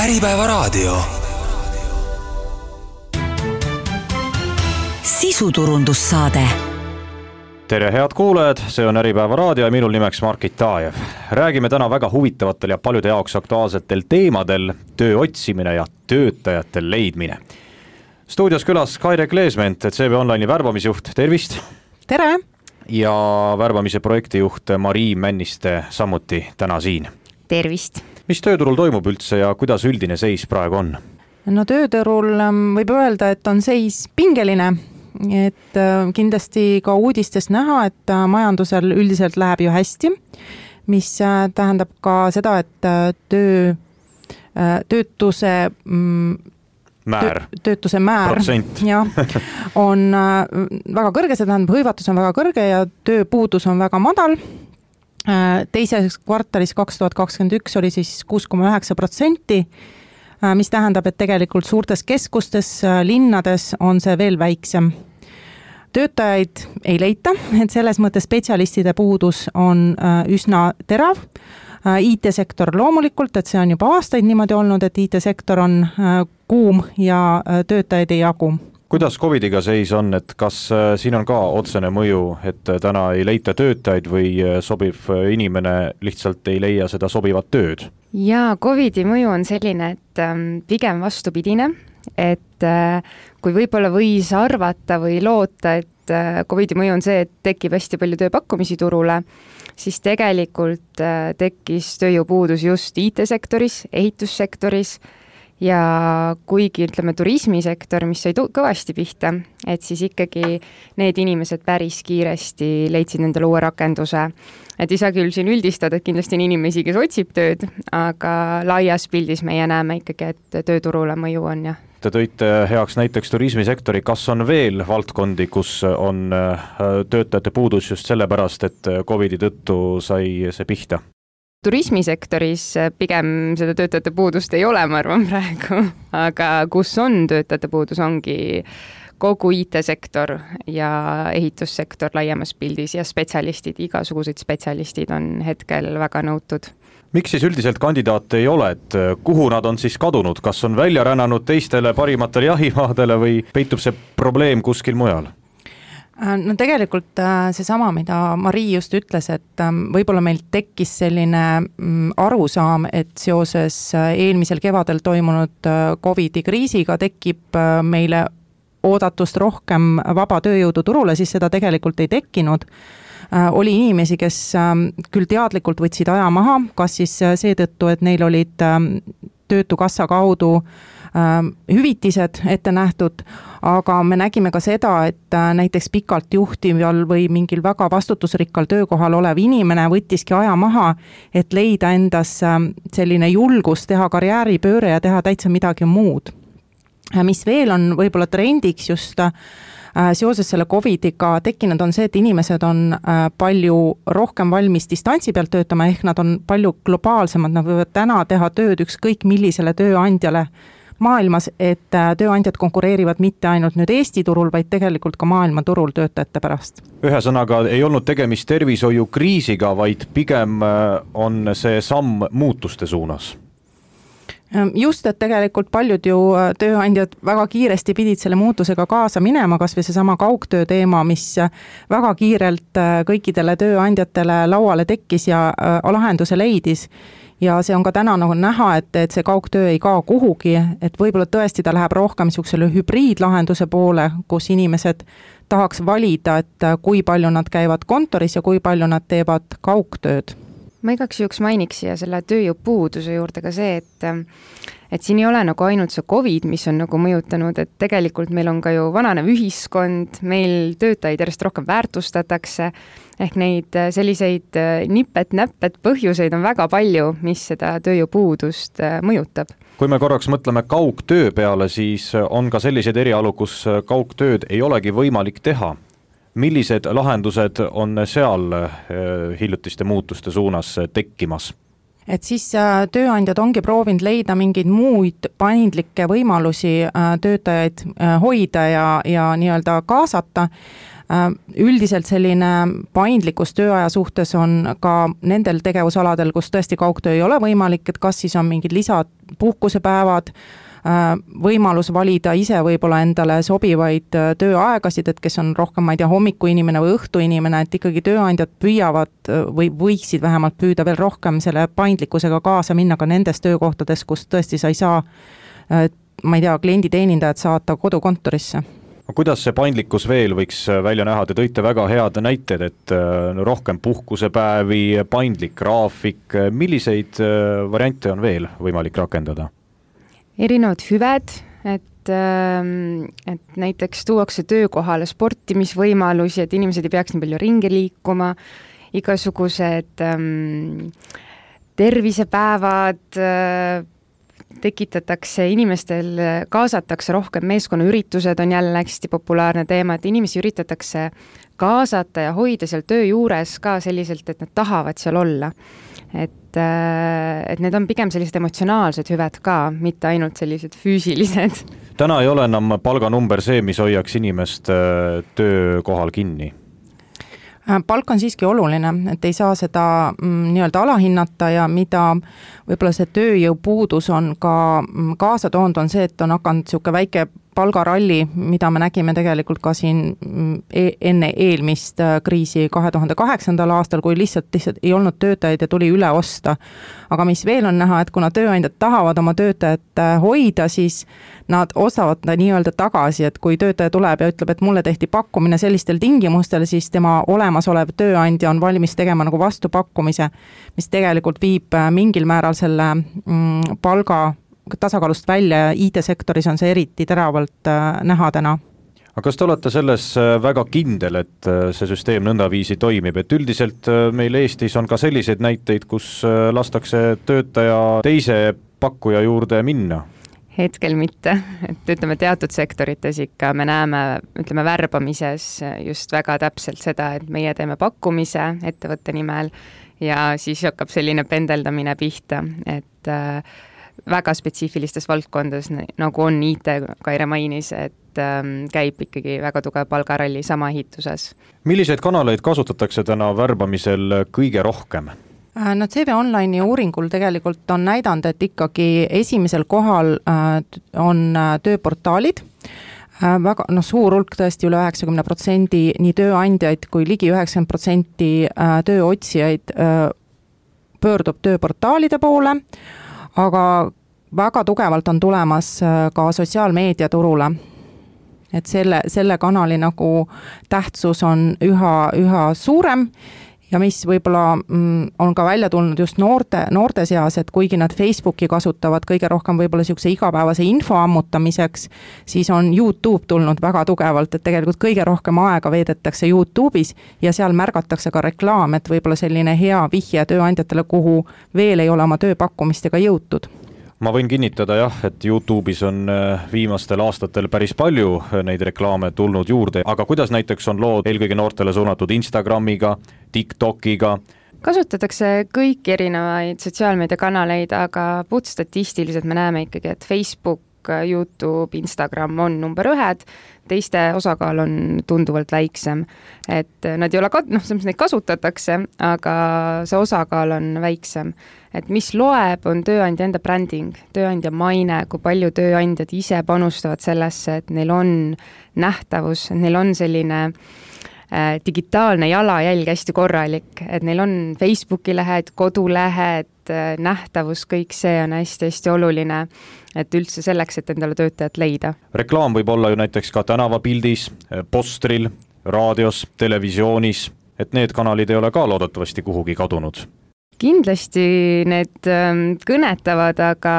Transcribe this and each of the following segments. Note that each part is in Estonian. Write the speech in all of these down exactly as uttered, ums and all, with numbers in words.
Äripäevaraadio. Sisuturundussaade. Tere head kuulajad, see on Äripäevaraadio ja minul nimeks Margit Taajev. Räägime täna väga huvitavatel ja paljude jaoks aktuaalsetel teemadel: töö otsimine ja töötajate leidmine. Stuudios külas Kaire Kleesment, C V Online'i värbamisjuht, tervist! Tere! Ja värbamise projektijuht Marii Männiste samuti täna siin. Tervist! Mis tööturul toimub üldse ja kuidas üldine seis praegu on? No tööturul võib öelda, et on seis pingeline, et kindlasti ka uudistest näha, et majandusel üldiselt läheb ju hästi, mis tähendab ka seda, et töö, töötuse määr, töötuse määr ja, on väga kõrge, see tähendab, hõivatus on väga kõrge ja tööpuudus on väga madal. Teises kvartalis kaks tuhat kakskümmend üks oli siis kuus koma üheksa protsenti, mis tähendab, et tegelikult suurtes keskustes, linnades on see veel väiksem. Töötajaid ei leita, et selles mõttes spetsialistide puudus on üsna terav. I T-sektor loomulikult, et see on juba aastaid niimoodi olnud, et I T-sektor on kuum ja töötajaid ei jagu. Kuidas covidiga seis on, et kas siin on ka otsene mõju, et täna ei leita töötajaid või sobiv inimene lihtsalt ei leia seda sobivat tööd? Ja covidi mõju on selline, et pigem vastupidine, et kui võib-olla võis arvata või loota, et covidi mõju on see, et tekib hästi palju tööpakkumisi turule, siis tegelikult tekkis tööjõupuudus just I T-sektoris, ehitussektoris ja kuigi ütleme turismisektor, mis sai kõvasti pihta, et siis ikkagi need inimesed päris kiiresti leidsid endale uue rakenduse. Et ei saa küll siin üldistada, et kindlasti on inimesi, kes otsib tööd, aga laias pildis meie näeme ikkagi, et tööturule mõju on jah. Te tõite heaks näiteks turismisektori, kas on veel valdkondi, kus on töötajate puudus just sellepärast, et covidi tõttu sai see pihta? Turismisektoris pigem seda töötajate puudust ei ole, ma arvan praegu, aga kus on töötajate puudus, ongi kogu I T-sektor ja ehitussektor laiemas pildis ja spetsialistid, igasugused spetsialistid on hetkel väga nõutud. Miks siis üldiselt kandidaate ei ole, et kuhu nad on siis kadunud, kas on välja rännanud teistele parimatele jahimaadele või peitub see probleem kuskil mujal? No tegelikult seesama, mida Marii just ütles, et võib-olla meil tekkis selline arusaam, et seoses eelmisel kevadel toimunud covidi kriisiga tekib meile oodatust rohkem vaba tööjõudu turule, siis seda tegelikult ei tekkinud. Oli inimesi, kes küll teadlikult võtsid aja maha, kas siis seetõttu, et neil olid töötukassa kaudu hüvitised ette nähtud, aga me nägime ka seda, et näiteks pikalt juhtival või mingil väga vastutusrikkal töökohal olev inimene võttiski aja maha, et leida endas selline julgus teha karjääripööre ja teha täitsa midagi muud. Mis veel on võib-olla trendiks just seoses selle covidiga tekkinud on see, et inimesed on palju rohkem valmis distantsi pealt töötama, ehk nad on palju globaalsemad, nad võivad täna teha tööd ükskõik millisele tööandjale maailmas, et tööandjad konkureerivad mitte ainult nüüd Eesti turul, vaid tegelikult ka maailma turul töötajate pärast. Ühesõnaga ei olnud tegemist tervishoiu kriisiga, vaid pigem on see samm muutuste suunas. Just, et tegelikult paljud ju tööandjad väga kiiresti pidid selle muutusega kaasa minema, kas või see sama kaugtöö teema, mis väga kiirelt kõikidele tööandjatele lauale tekkis ja lahenduse leidis. Ja see on ka täna nagu näha, et, et see kaugtöö ei kao kuhugi, et võib-olla tõesti ta läheb rohkem niisugusele hübriidlahenduse poole, kus inimesed tahaks valida, et kui palju nad käivad kontoris ja kui palju nad teevad kaugtööd. Ma igaks juhuks mainiks siia selle tööjõupuuduse juurde ka see, et, et siin ei ole nagu ainult see COVID, mis on nagu mõjutanud, et tegelikult meil on ka ju vananev ühiskond, meil töötajaid järjest rohkem väärtustatakse, ehk neid selliseid nipet-näppet põhjuseid on väga palju, mis seda tööjõupuudust mõjutab. Kui me korraks mõtleme kaugtöö peale, siis on ka sellised erialu, kus kaugtööd ei olegi võimalik teha. Millised lahendused on seal hiljutiste muutuste suunas tekkimas? Et siis tööandjad ongi proovinud leida mingeid muid paindlikke võimalusi töötajaid hoida ja, ja nii-öelda kaasata. Üldiselt selline paindlikkus tööaja suhtes on ka nendel tegevusaladel, kus tõesti kaugtöö ei ole võimalik, et kas siis on mingid lisad puhkusepäevad, võimalus valida ise võib-olla endale sobivaid tööaegasid, et kes on rohkem, ma ei tea, hommiku inimene või õhtu inimene, et ikkagi tööandjad püüavad või võiksid vähemalt püüda veel rohkem selle paindlikkusega kaasa minna ka nendes töökohtades, kus tõesti sa ei saa, ma ei tea, klienditeenindajad saata kodukontorisse. Kuidas see paindlikkus veel võiks välja näha? Te tõite väga head näited, et rohkem puhkusepäevi, paindlik graafik, milliseid variante on veel võimalik rakendada? Erinevad hüved, et, et näiteks tuuakse töökohale sportimisvõimalusi, et inimesed ei peaks nii palju ringi liikuma, igasugused ähm, tervisepäevad, äh, tekitatakse inimestel, kaasatakse rohkem, meeskonnaüritused on jälle hästi populaarne teema, et inimesi üritatakse kaasata ja hoida seal töö juures ka selliselt, et nad tahavad seal olla. Et, et need on pigem sellised emotsionaalsed hüved ka, mitte ainult sellised füüsilised. Täna ei ole enam palganumber see, mis hoiaks inimest töökohal kinni? Palk on siiski oluline, et ei saa seda mm, nii-öelda alahinnata ja mida võib-olla see tööjõupuudus on ka kaasa toonud, on see, et on hakanud niisugune väike palgaralli, mida me nägime tegelikult ka siin e- enne eelmist kriisi kahe tuhande kaheksandal aastal, kui lihtsalt, lihtsalt ei olnud töötajaid ja tuli üle osta. Aga mis veel on näha, et kuna tööandjad tahavad oma töötajat hoida, siis nad ostavad ta nii-öelda tagasi, et kui töötaja tuleb ja ütleb, et mulle tehti pakkumine sellistel tingimustel, siis tema olemasolev tööandja on valmis tegema nagu vastupakkumise, mis tegelikult viib mingil määral selle mm, palga tasakaalust välja ja I T-sektoris on see eriti teravalt näha täna. Aga kas te olete selles väga kindel, et see süsteem nõndaviisi toimib, et üldiselt meil Eestis on ka selliseid näiteid, kus lastakse töötaja teise pakkuja juurde minna? Hetkel mitte, et ütleme teatud sektorites ikka me näeme, ütleme värbamises just väga täpselt seda, et meie teeme pakkumise ettevõtte nimel ja siis hakkab selline pendeldamine pihta, et äh, väga spetsiifilistes valdkondades, nagu on I T, Kaire mainis, et ähm, käib ikkagi väga tugev palgaralli sama ehituses. Milliseid kanaleid kasutatakse täna värbamisel kõige rohkem? No C V Online'i uuringul tegelikult on näidanud, et ikkagi esimesel kohal on tööportaalid, väga no, suur hulk tõesti üle üheksakümmend protsenti nii tööandjaid kui ligi üheksakümmend protsenti tööotsijaid pöördub tööportaalide poole, aga väga tugevalt on tulemas ka sotsiaalmeedia turule. Et selle, selle kanali nagu tähtsus on üha, üha suurem ja mis võib-olla on ka välja tulnud just noorte, noorte seas, et kuigi nad Facebooki kasutavad kõige rohkem võib-olla niisuguse igapäevase info ammutamiseks, siis on YouTube tulnud väga tugevalt, et tegelikult kõige rohkem aega veedetakse YouTube'is ja seal märgatakse ka reklaam, et võib-olla selline hea vihje tööandjatele, kuhu veel ei ole oma tööpakkumistega jõutud. Ma võin kinnitada jah, et YouTube'is on viimastel aastatel päris palju neid reklaame tulnud juurde, aga kuidas näiteks on lood eelkõige noortele suunatud Instagramiga, TikTokiga? Kasutatakse kõiki erinevaid sotsiaalmeediakanaleid, aga puht statistiliselt me näeme ikkagi, et Facebook, YouTube, Instagram on number ühed, teiste osakaal on tunduvalt väiksem. Et nad ei ole, noh, neid kasutatakse, aga see osakaal on väiksem. Et mis loeb, on tööandja enda bränding, tööandja maine, kui palju tööandjad ise panustavad sellesse, et neil on nähtavus, neil on selline digitaalne jalajälg hästi korralik, et neil on Facebooki lehed, kodulehed, nähtavus, kõik see on hästi-hästi oluline, et üldse selleks, et endale töötajat leida. Reklaam võib olla ju näiteks ka tänavapildis, postril, raadios, televisioonis, et need kanalid ei ole ka loodetavasti kuhugi kadunud. Kindlasti need kõnetavad, aga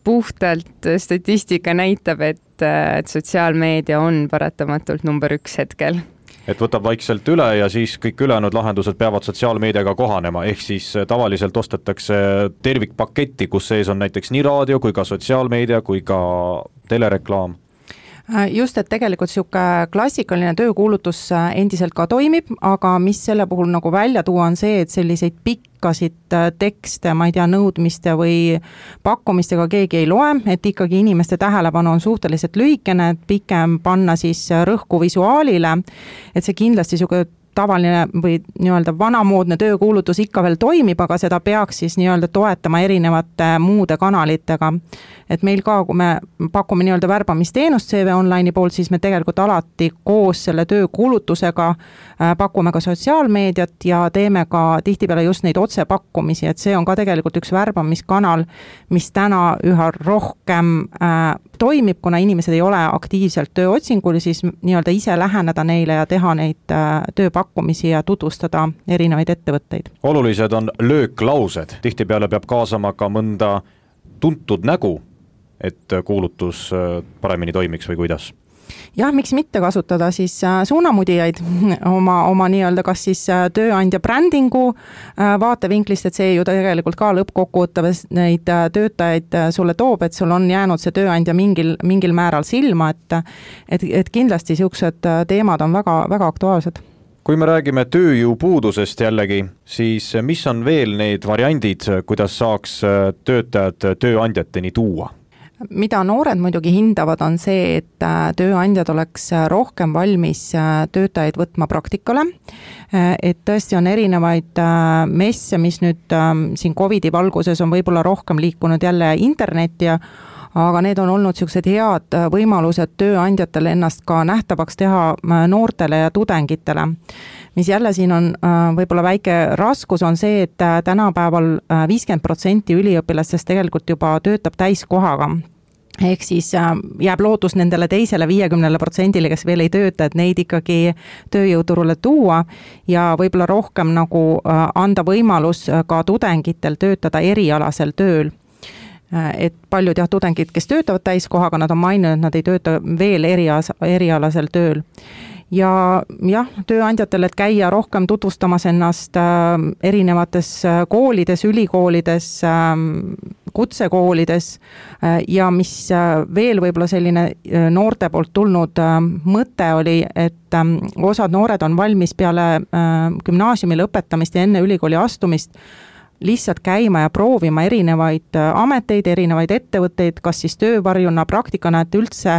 puhtalt statistika näitab, et, et sotsiaalmeedia on paratamatult number üks hetkel. Et võtab vaikselt üle ja siis kõik ülejäänud lahendused peavad sotsiaalmeediaga kohanema, ehk siis tavaliselt ostetakse tervikpaketti, kus sees on näiteks nii raadio kui ka sotsiaalmeedia kui ka telereklaam. Just, et tegelikult sihuke klassikaline töökuulutus endiselt ka toimib, aga mis selle puhul nagu välja tuua on see, et selliseid pikkasid tekste, ma ei tea, nõudmiste või pakkumistega keegi ei loe, et ikkagi inimeste tähelepanu on suhteliselt lühikene, et pikem panna siis rõhku visuaalile, et see kindlasti sihuke tavaline või nii-öelda vanamoodne töökuulutus ikka veel toimib, aga seda peaks siis nii-öelda toetama erinevate muude kanalitega. Et meil ka, kui me pakume nii-öelda värbamisteenust C V Online'i poolt, siis me tegelikult alati koos selle töökuulutusega pakume ka sotsiaalmeediat ja teeme ka tihtipeale just neid otsepakkumisi, et see on ka tegelikult üks värbamiskanal, mis täna üha rohkem äh, toimib, kuna inimesed ei ole aktiivselt tööotsingul, siis nii-öelda ise läheneda neile ja teha neid äh, tööpakkumisi ja tutvustada erinevaid ettevõtteid. Olulised on lööklaused, tihtipeale peab kaasama ka mõnda tuntud nägu, et kuulutus paremini toimiks või kuidas? Jah, miks mitte kasutada siis suunamudijaid oma, oma nii-öelda kas siis tööandja brändingu vaatevinklist, et see ju tegelikult ka lõppkokkuvõttes neid töötajaid sulle toob, et sul on jäänud see tööandja mingil, mingil määral silma, et, et, et kindlasti siuksed teemad on väga, väga aktuaalsed. Kui me räägime tööjõupuudusest jällegi, siis mis on veel need variandid, kuidas saaks töötajad tööandjateni tuua? Mida noored muidugi hindavad on see, et tööandjad oleks rohkem valmis töötajaid võtma praktikale, et tõesti on erinevaid messe, mis nüüd siin Covidi valguses on võib-olla rohkem liikunud jälle internetti ja aga need on olnud sellised head võimalused tööandjatele ennast ka nähtavaks teha noortele ja tudengitele. Mis jälle siin on võib-olla väike raskus on see, et tänapäeval viiskümmend protsenti üliõpilastest tegelikult juba töötab täiskohaga. Ehk siis jääb lootus nendele teisele viiekümnele protsendile, kes veel ei tööta, et neid ikkagi tööjõuturule tuua ja võib-olla rohkem nagu anda võimalus ka tudengitel töötada erialasel tööl. Et paljud jah, tudengid, kes töötavad täiskohaga, nad on maininud, et nad ei tööta veel erias, erialasel tööl. Ja jah, tööandjatel, et käia rohkem tutvustamas ennast erinevates koolides, ülikoolides, kutsekoolides ja mis veel võib-olla selline noorte poolt tulnud mõte oli, et osad noored on valmis peale gümnaasiumi lõpetamist ja enne ülikooli astumist lihtsalt käima ja proovima erinevaid ameteid, erinevaid ettevõtteid, kas siis töövarjuna, praktikana, et üldse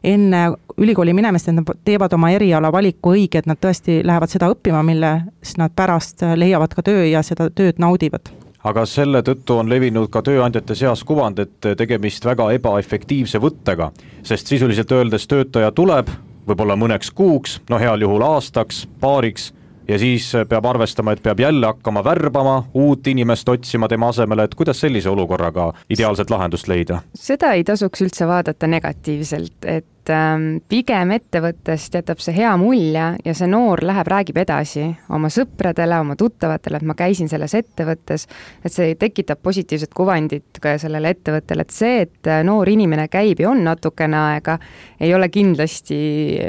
enne ülikooli minemist, et nad teevad oma eriala valiku õige, et nad tõesti lähevad seda õppima, milles nad pärast leiavad ka töö ja seda tööd naudivad. Aga selle tõttu on levinud ka tööandjate seas kuvand, et tegemist väga ebaefektiivse võttega, sest sisuliselt öeldes töötaja tuleb võib-olla mõneks kuuks, no heal juhul aastaks, paariks, ja siis peab arvestama, et peab jälle hakkama värbama, uut inimest otsima tema asemele, et kuidas sellise olukorraga ideaalset lahendust leida? Seda ei tasuks üldse vaadata negatiivselt, et pigem ettevõttest jätab see hea mulje ja see noor läheb, räägib edasi oma sõpradele, oma tuttavatele, et ma käisin selles ettevõttes, et see tekitab positiivset kuvandit ka sellele ettevõttele, et see, et noor inimene käib ja on natukene aega, ei ole kindlasti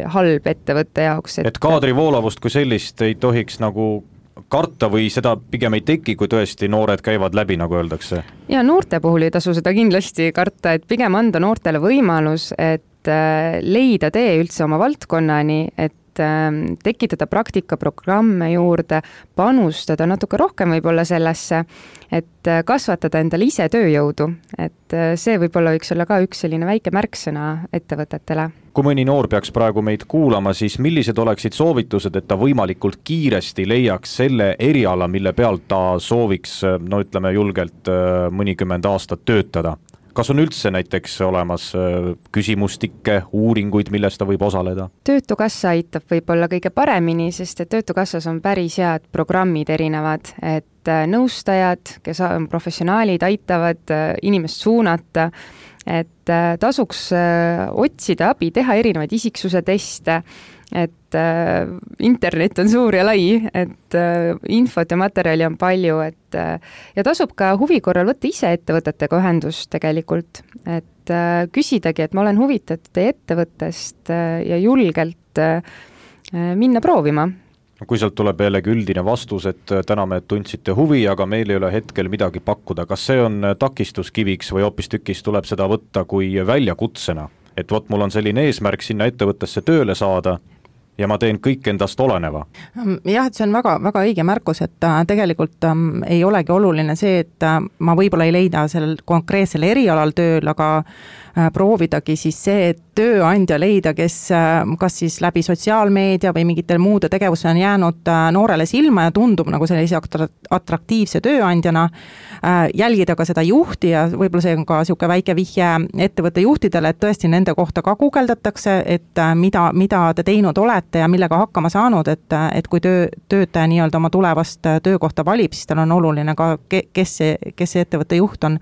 halb ettevõtte jaoks. Et, et kaadri voolavust kui sellist ei tohiks nagu karta või seda pigem ei teki, kui tõesti noored käivad läbi, nagu öeldakse? Ja noorte puhul ei tasu seda kindlasti karta, et pigem anda noortele võimalus, et leida tee üldse oma valdkonnani, et tekitada praktikaprogramme juurde, panustada natuke rohkem võib-olla sellesse, et kasvatada endale ise tööjõudu, et see võib-olla võiks olla ka üks selline väike märksõna ettevõtetele. Kui mõni noor peaks praegu meid kuulama, siis millised oleksid soovitused, et ta võimalikult kiiresti leiaks selle eriala, mille pealt ta sooviks, no ütleme julgelt, mõnikümmend aastat töötada? Kas on üldse näiteks olemas küsimustikke, uuringuid, milles ta võib osaleda? Töötukassa aitab võib-olla kõige paremini, sest et Töötukassas on päris head programmid erinevad, et nõustajad, kes on professionaalid, aitavad inimest suunata, et tasuks otsida abi, teha erinevaid isiksuse teste, et äh, internet on suur ja lai, et äh, infot ja materjali on palju, et äh, ja tasub ka huvi korral võtta ise ettevõtetega ühendust tegelikult, et äh, küsidagi, et ma olen huvitatud teie ettevõttest äh, ja julgelt äh, minna proovima. Kui sealt tuleb jällegi üldine vastus, et täname, et tundsite huvi, aga meil ei ole hetkel midagi pakkuda, kas see on takistuskiviks või hoopis tükis tuleb seda võtta kui väljakutsena? et vot mul on selline eesmärk sinna ettevõttesse tööle saada ja ma teen kõik endast oleneva. Jah, et see on väga, väga õige märkus, et tegelikult ähm, ei olegi oluline see, et äh, ma võib-olla ei leida sellel konkreetsel erialal tööl, aga äh, proovidagi siis see, et tööandja leida, kes äh, kas siis läbi sotsiaalmeedia või mingitel muude tegevusel on jäänud äh, noorele silma ja tundub nagu sellise atraktiivse tööandjana, äh, jälgida ka seda juhti ja võib-olla see on ka niisugune väike vihje ettevõtte juhtidele, et tõesti nende kohta ka guugeldatakse, et äh, mida, mida te teinud olete ja millega hakkama saanud, et, et kui töö, töötaja nii-öelda oma tulevast töökohta valib, siis tal on oluline ka, kes see, kes see ettevõtte juht on.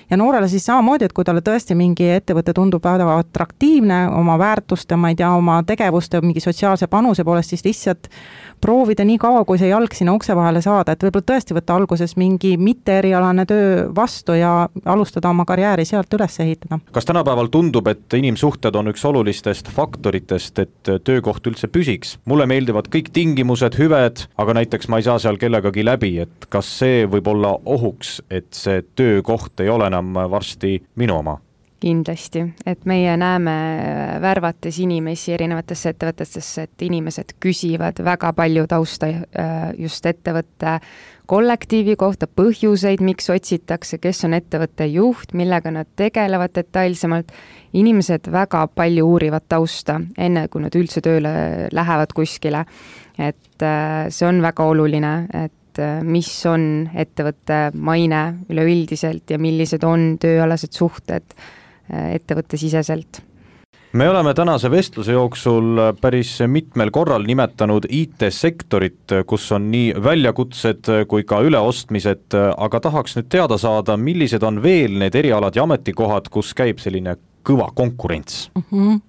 Ja noorele siis samamoodi, et kui talle tõesti mingi ettevõte tundub väga atraktiivne oma väärtuste, ma ei tea, oma tegevuste, mingi sotsiaalse panuse poolest, siis lihtsalt proovida nii kaua, kui see jalg sinna ukse vahele saada, et võib-olla tõesti võtta alguses mingi mitte erialane töö vastu ja alustada oma karjääri sealt üles ehitada. Kas tänapäeval tundub, et inimsuhted on üks olulistest faktoritest, et töökoht üldse püsiks? Mulle meeldivad kõik tingimused, hüved, aga näiteks ma ei saa seal kellegagi läbi, et kas see võib olla ohuks, et see töökoht ei ole enam varsti minu oma? Kindlasti, et meie näeme värvates inimesi erinevatesse ettevõtetesse, et inimesed küsivad väga palju tausta just ettevõtte kollektiivi kohta, põhjuseid, miks otsitakse, kes on ettevõtte juht, millega nad tegelevad detailsemalt. Inimesed väga palju uurivad tausta, enne kui nad üldse tööle lähevad kuskile. Et see on väga oluline, et mis on ettevõtte maine üleüldiselt ja millised on tööalased suhted ettevõtte siseselt. Me oleme tänase vestluse jooksul päris mitmel korral nimetanud I T-sektorit, kus on nii väljakutsed kui ka üleostmised, aga tahaks nüüd teada saada, millised on veel need erialad ja ametikohad, kus käib selline kõva konkurents? Mm-hmm.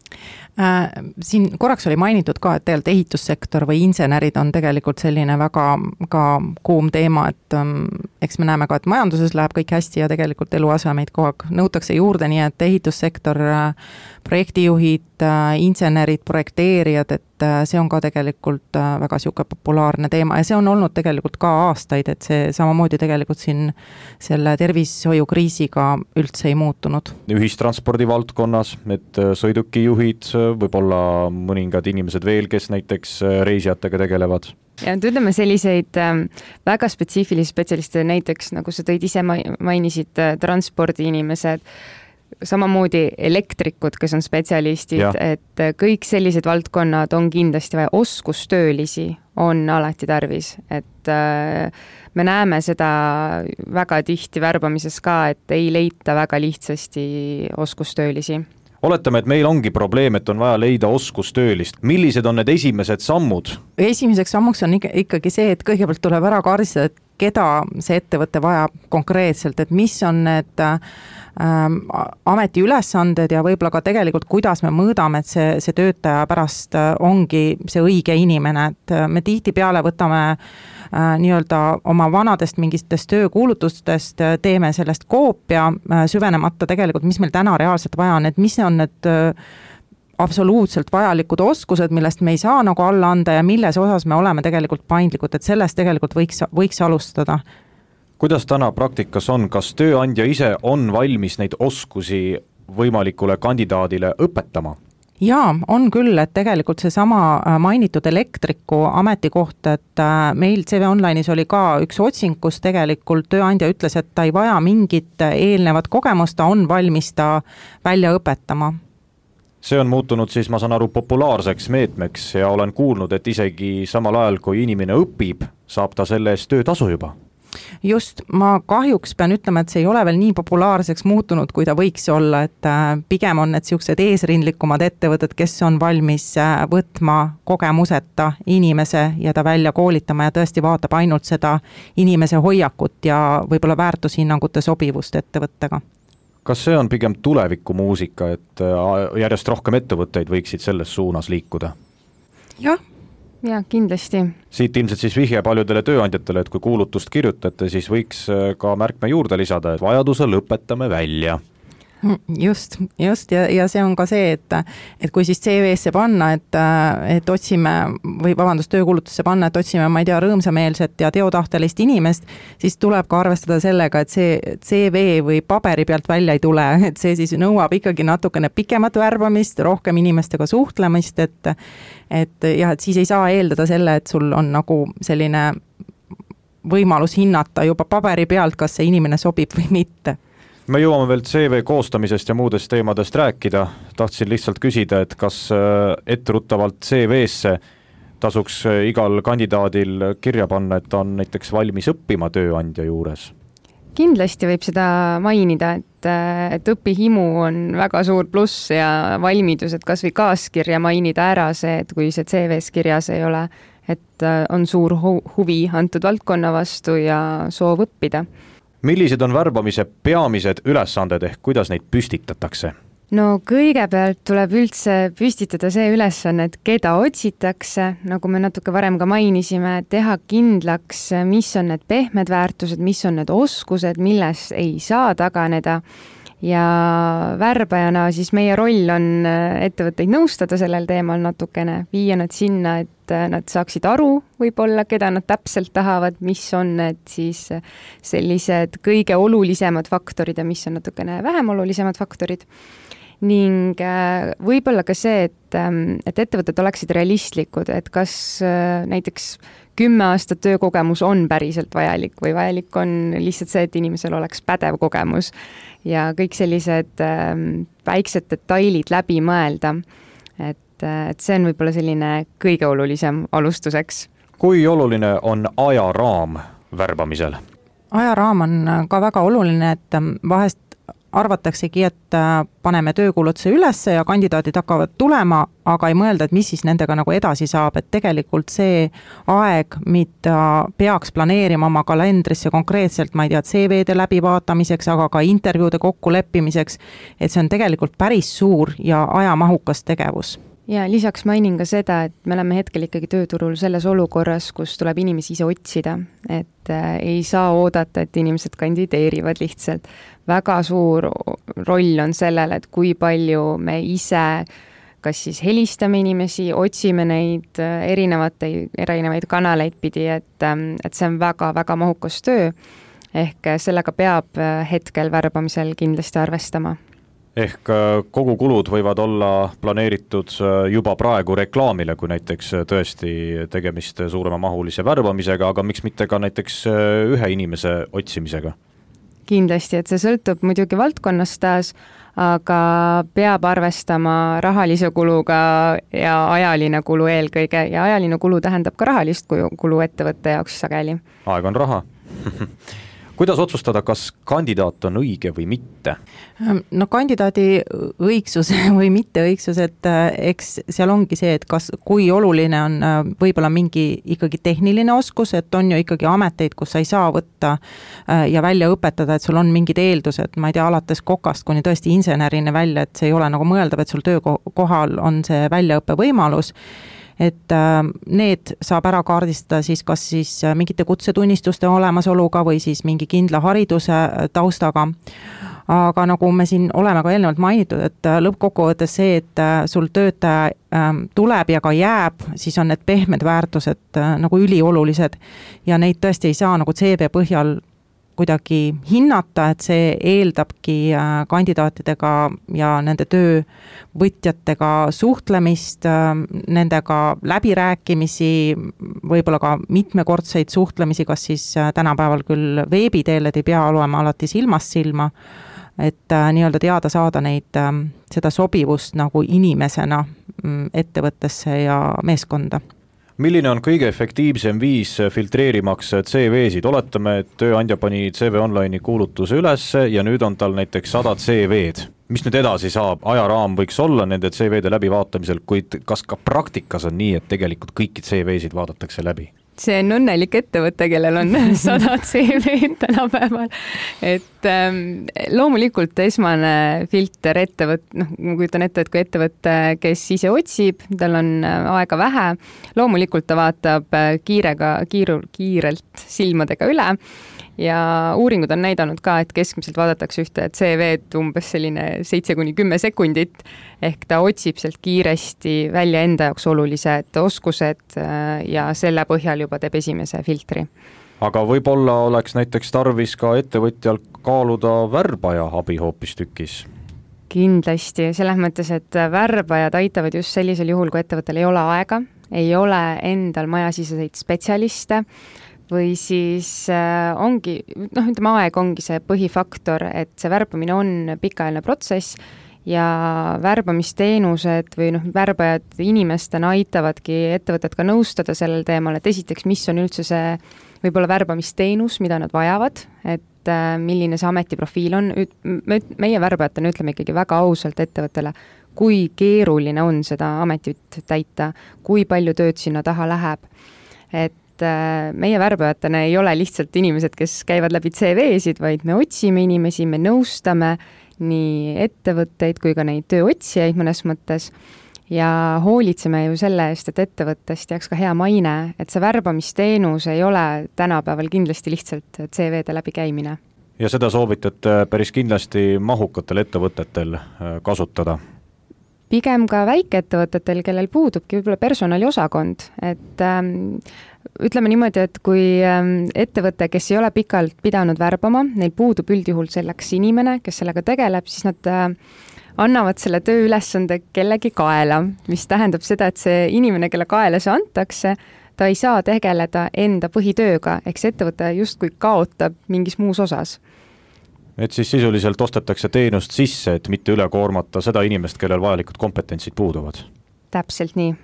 Äh, siin korraks oli mainitud ka, et tegelikult ehitussektor või insenerid on tegelikult selline väga ka kuum teema, et ähm, eks me näeme ka, et majanduses läheb kõik hästi ja tegelikult eluasemeid kogu aeg nõutakse juurde, nii et ehitussektor, äh, projektijuhid, äh, insenerid, projekteerijad, et äh, see on ka tegelikult äh, väga siuke populaarne teema ja see on olnud tegelikult ka aastaid, et see samamoodi tegelikult siin selle tervishoiukriisiga üldse ei muutunud. Ühistranspordi valdkonnas, et sõidukijuhid, võib-olla mõningad inimesed veel, kes näiteks reisijatega tegelevad. Ja ütleme selliseid väga spetsiifilisi spetsialiste, näiteks nagu sa tõid ise mainisid, transpordiinimesed, samamoodi elektrikud, kes on spetsialistid, ja. Et kõik sellised valdkonnad on kindlasti vaja, oskustöölisi on alati tarvis, et me näeme seda väga tihti värbamises ka, et ei leita väga lihtsasti oskustöölisi. Oletame, et meil ongi probleem, et on vaja leida oskustöölist. Millised on need esimesed sammud? Esimeseks sammuks on ikkagi see, et kõigepealt tuleb ära kaardistada, et keda see ettevõte vajab konkreetselt, et mis on need ähm, ameti ülesanded ja võib-olla ka tegelikult, kuidas me mõõdame, et see, see töötaja pärast ongi see õige inimene, et me tihti peale võtame äh, nii-öelda oma vanadest mingitest töökuulutustest, teeme sellest koopia, äh, süvenemata tegelikult, mis meil täna reaalselt vaja on, et mis on need äh, absoluutselt vajalikud oskused, millest me ei saa nagu alla anda ja milles osas me oleme tegelikult paindlikud, et sellest tegelikult võiks, võiks alustada. Kuidas täna praktikas on, kas tööandja ise on valmis neid oskusi võimalikule kandidaadile õpetama? Jaa, on küll, et tegelikult see sama mainitud elektriku ametikoht, et meil C V Online'is oli ka üks otsing, kus tegelikult tööandja ütles, et ta ei vaja mingit eelnevat kogemust, ta on valmis ta välja õpetama. See on muutunud siis, ma saan aru, populaarseks meetmeks ja olen kuulnud, et isegi samal ajal, kui inimene õpib, saab ta selle eest töötasu juba. Just, ma kahjuks pean ütlema, et see ei ole veel nii populaarseks muutunud, kui ta võiks olla, et pigem on need siuksed eesrindlikumad ettevõtted, kes on valmis võtma kogemuseta inimese ja ta välja koolitama ja tõesti vaatab ainult seda inimese hoiakut ja võib-olla väärtushinnangute sobivust ettevõttega. Kas see on pigem tulevikumuusika, et järjest rohkem ettevõtteid võiksid selles suunas liikuda? Jah. Ja, kindlasti. Siit ilmselt siis vihje paljudele tööandjatele, et kui kuulutust kirjutate, siis võiks ka märkme juurde lisada, et vajaduse lõpetame välja. Just, just ja, ja see on ka see, et, et kui siis C V-sse panna, et, et otsime või vabandust, töökuulutusse panna, et otsime, ma ei tea, rõõmsameelset ja teotahtelist inimest, siis tuleb ka arvestada sellega, et see C V või paberi pealt välja ei tule, et see siis nõuab ikkagi natukene pikemat värbamist, rohkem inimestega suhtlemist, et, et jah, et siis ei saa eeldada selle, et sul on nagu selline võimalus hinnata juba paberi pealt, kas see inimene sobib või mitte. Me jõuame veel C V koostamisest ja muudest teemadest rääkida. Tahtsin lihtsalt küsida, et kas etteruttavalt C V-sse tasuks igal kandidaadil kirja panna, et ta on näiteks valmis õppima tööandja juures? Kindlasti võib seda mainida, et, et õpihimu on väga suur pluss ja valmidus, et kas või kaaskirja mainida ära see, et kui see C V-s kirjas ei ole, et on suur huvi antud valdkonna vastu ja soov õppida. Millised on värbamise peamised ülesanded ehk kuidas neid püstitatakse? No kõigepealt tuleb üldse püstitada see ülesanne, et keda otsitakse, nagu me natuke varem ka mainisime, teha kindlaks, mis on need pehmed väärtused, mis on need oskused, milles ei saa taganeda. Ja värbajana siis meie roll on ettevõtteid nõustada sellel teemal natukene, viia nad sinna, et nad saaksid aru võib-olla, keda nad täpselt tahavad, mis on need siis sellised kõige olulisemad faktorid ja mis on natukene vähem olulisemad faktorid. Ning võib-olla ka see, et, et ettevõtted oleksid realistlikud, et kas näiteks kümme aastat töökogemus on päriselt vajalik või vajalik on lihtsalt see, et inimesel oleks pädev kogemus ja kõik sellised väiksed detailid läbi mõelda. Et, et see on võib-olla selline kõige olulisem alustuseks. Kui oluline on ajaraam värbamisel? Ajaraam on ka väga oluline, et vahest arvataksegi, et paneme töökuulutuse ülesse ja kandidaadid hakkavad tulema, aga ei mõelda, et mis siis nendega nagu edasi saab, et tegelikult see aeg, mida peaks planeerima oma kalendrisse konkreetselt, ma ei tea, C V-de läbivaatamiseks, aga ka intervjuude kokkuleppimiseks, et see on tegelikult päris suur ja ajamahukas tegevus. Ja lisaks mainin ka seda, et me oleme hetkel ikkagi tööturul selles olukorras, kus tuleb inimesi ise otsida, et ei saa oodata, et inimesed kandideerivad lihtsalt. Väga suur roll on sellel, et kui palju me ise kas siis helistame inimesi, otsime neid erinevate, erinevaid kanaleid pidi, et, et see on väga-väga mahukas töö, ehk sellega peab hetkel värbamisel kindlasti arvestama. Ehk kogu kulud võivad olla planeeritud juba praegu reklaamile, kui näiteks tõesti tegemist suurema mahulise värbamisega, aga miks mitte ka näiteks ühe inimese otsimisega? Kindlasti, et see sõltub muidugi valdkonnast taas, aga peab arvestama rahalise kuluga ja ajaline kulu eelkõige ja ajaline kulu tähendab ka rahalist kulu ettevõtte jaoks sageli. Aeg on raha. Kuidas otsustada, kas kandidaat on õige või mitte? No kandidaadi õigsus või mitte õigsus, et eks seal ongi see, et kas, kui oluline on võib-olla mingi ikkagi tehniline oskus, et on ju ikkagi ameteid, kus sa ei saa võtta ja välja õpetada, et sul on mingid eeldused, ma ei tea, alates kokast kuni tõesti insenerini välja, et see ei ole nagu mõeldav, et sul töökohal on see väljaõppe võimalus. Et need saab ära kaardistada siis kas siis mingite kutsetunnistuste olemasoluga või siis mingi kindla hariduse taustaga. Aga nagu me siin oleme ka eelnevalt mainitud, et lõppkokkuvõttes see, et sul töötaja tuleb ja ka jääb, siis on need pehmed väärtused nagu üliolulised ja neid tõesti ei saa nagu C V põhjal kuidagi hinnata, et see eeldabki kandidaatidega ja nende töövõtjatega suhtlemist, nendega läbirääkimisi, võib-olla ka mitmekordseid suhtlemisi, kas siis tänapäeval küll veebiteel, et ei pea olema alati silmast silma, et nii-öelda teada saada neid, seda sobivust nagu inimesena ettevõttesse ja meeskonda. Milline on kõige efektiivsem viis filtreerimaks C V-sid? Oletame, et tööandja pani C V Online'i kuulutuse üles ja nüüd on tal näiteks sada C V-d. Mis nüüd edasi saab? Ajaraam võiks olla nende C V-de läbivaatamisel, kuid kas ka praktikas on nii, et tegelikult kõiki C V-sid vaadatakse läbi? See on õnnelik ettevõte, kellel on sada C V-d tänapäeval. Et ähm, loomulikult esmane filter ettevõt, noh, ma kujutan ette, et kui ettevõte, kes ise otsib, tal on aega vähe, loomulikult ta vaatab kiirega, kiiru, kiirelt silmadega üle ja uuringud on näidanud ka, et keskmiselt vaadatakse ühte C V-d umbes selline seitse kuni kümme sekundit, ehk ta otsib sealt kiiresti välja enda jaoks olulised oskused ja selle põhjal juba teeb esimese filtri. Aga võib-olla oleks näiteks tarvis ka ettevõtjal kaaluda värbaja abi hoopistükkis? Kindlasti, selles mõttes, et värbajad aitavad just sellisel juhul, kui ettevõttel ei ole aega, ei ole endal majasiseseid spetsialiste või siis ongi, noh, ütleme, aeg ongi see põhifaktor, et see värbamine on pikaajaline protsess ja värbamisteenused või noh, värbajad inimestena aitavadki ettevõtet ka nõustada sellel teemal, et esiteks, mis on üldse see võib-olla värbamisteenus, mida nad vajavad, et milline see ametiprofiil on. Meie värbajatena ütleme ikkagi väga ausalt ettevõttele, kui keeruline on seda ametit täita, kui palju tööd sinna taha läheb. Et meie värbajatena ei ole lihtsalt inimesed, kes käivad läbi C V-sid, vaid me otsime inimesi, me nõustame nii ettevõtteid kui ka neid tööotsijaid mõnes mõttes ja hoolitseme ju selle eest, et ettevõttest jääks ka hea maine, et see värbamisteenus ei ole tänapäeval kindlasti lihtsalt C V-de läbi käimine. Ja seda soovitate päris kindlasti mahukatel ettevõtetel kasutada? Pigem ka väikeettevõtetel, kellel puudubki võib-olla personaliosakond, et ähm, ütleme niimoodi, et kui ähm, ettevõte, kes ei ole pikalt pidanud värbama, neil puudub üldjuhul selleks inimene, kes sellega tegeleb, siis nad äh, annavad selle tööülesande kellegi kaela, mis tähendab seda, et see inimene, kelle kaela see antakse, ta ei saa tegeleda enda põhitööga, ehk see ettevõte justkui kaotab mingis muus osas. Et siis sisuliselt ostetakse teenust sisse, et mitte üle koormata seda inimest, kellel vajalikud kompetentsid puuduvad. Täpselt nii.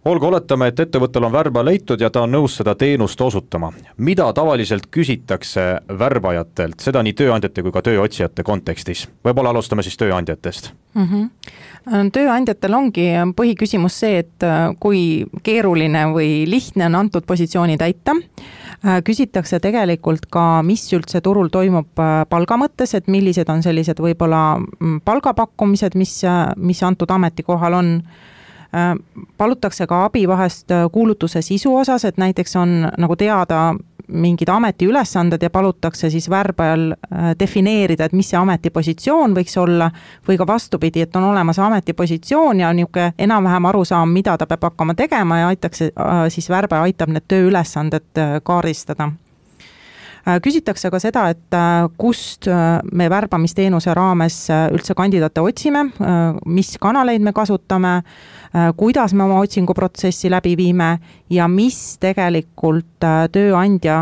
Olgu, oletame, et ettevõttel on värba leitud ja ta on nõus seda teenust osutama. Mida tavaliselt küsitakse värbajatelt, seda nii tööandjate kui ka tööotsijate kontekstis? Võib-olla alustame siis tööandjatest. Mm-hmm. Tööandjatel ongi põhiküsimus see, et kui keeruline või lihtne on antud positsiooni täita. Küsitakse tegelikult ka, mis üldse turul toimub palga mõttes, et millised on sellised võib-olla palgapakkumised, mis, mis antud ametikohal on. Palutakse ka abi vahest kuulutuse sisu osas, et näiteks on nagu teada mingid ametiülesanded ja palutakse siis värbajal defineerida, et mis see ametipositsioon võiks olla või ka vastupidi, et on olemas ametipositsioon ja niisugune enam-vähem arusaam, mida ta peab hakkama tegema ja aitakse, siis värbaja aitab need tööülesanded kaardistada. Küsitakse ka seda, et kust me värbamisteenuse raames üldse kandidaate otsime, mis kanaleid me kasutame, kuidas me oma otsinguprotsessi läbi viime ja mis tegelikult tööandja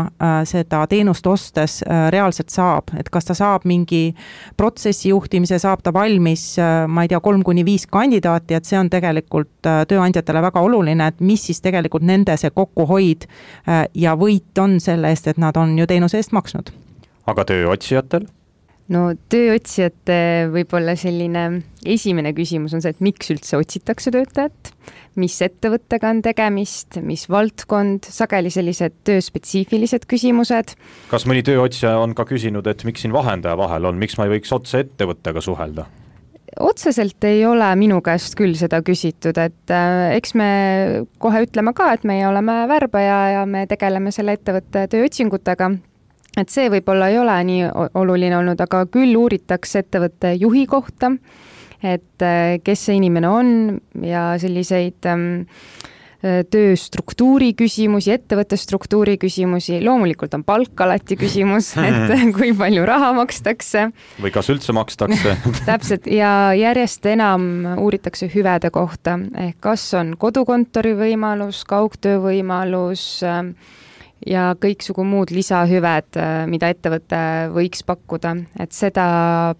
seda teenust ostes reaalselt saab. Et kas ta saab mingi protsessi juhtimise, saab ta valmis, ma ei tea, kolm kuni viis kandidaati, et see on tegelikult tööandjatele väga oluline, et mis siis tegelikult nende see kokkuhoid ja võit on selle eest, et nad on ju teenuse eest maksnud. Aga tööotsijatel? No tööotsijate võib-olla selline esimene küsimus on see, et miks üldse otsitakse töötajat, mis ettevõttega on tegemist, mis valdkond, sageli sellised tööspetsiifilised küsimused. Kas mõni tööotsija on ka küsinud, et miks siin vahendaja vahel on, miks ma ei võiks otse ettevõttega suhelda? Otseselt ei ole minu käest küll seda küsitud, et äh, eks me kohe ütleme ka, et meie oleme värbaja ja me tegeleme selle ettevõtte tööotsingutega. Et see võib-olla ei ole nii oluline olnud, aga küll uuritakse ettevõtte juhi kohta, et kes see inimene on ja selliseid ähm, tööstruktuuri küsimusi, ettevõtte struktuuri küsimusi, loomulikult on palk alati küsimus, et kui palju raha makstakse. Või kas üldse makstakse. Täpselt, ja järjest enam uuritakse hüvede kohta, ehk kas on kodukontori võimalus, kaugtöö võimalus, ja kõiksugu muud lisahüved, mida ettevõte võiks pakkuda, et seda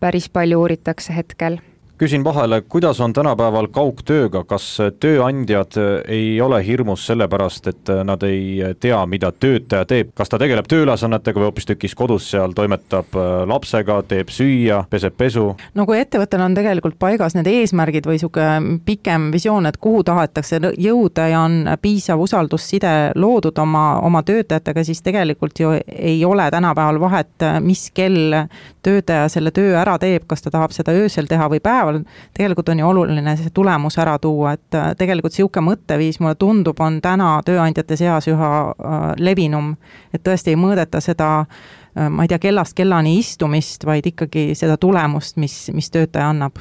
päris palju uuritakse hetkel. Küsin vahele, kuidas on tänapäeval kaugtööga, kas tööandjad ei ole hirmus sellepärast, et nad ei tea, mida töötaja teeb, kas ta tegeleb tööülesannetega või hoopis tükis kodus seal toimetab lapsega, teeb süüa, peseb pesu? No kui ettevõttel on tegelikult paigas need eesmärgid või suke pikem visioon, et kuhu tahetakse jõuda ja on piisav usaldusside loodud oma, oma töötajatega, siis tegelikult ju ei ole tänapäeval vahet, mis kell töötaja selle töö ära teeb, kas ta tahab seda öösel teha või päeval. Tegelikult on ju oluline see tulemus ära tuua, et tegelikult siuke mõtteviis mulle tundub on täna tööandjate seas üha levinum, et tõesti ei mõõdeta seda ma ei tea, kellast kellani istumist, vaid ikkagi seda tulemust, mis, mis töötaja annab.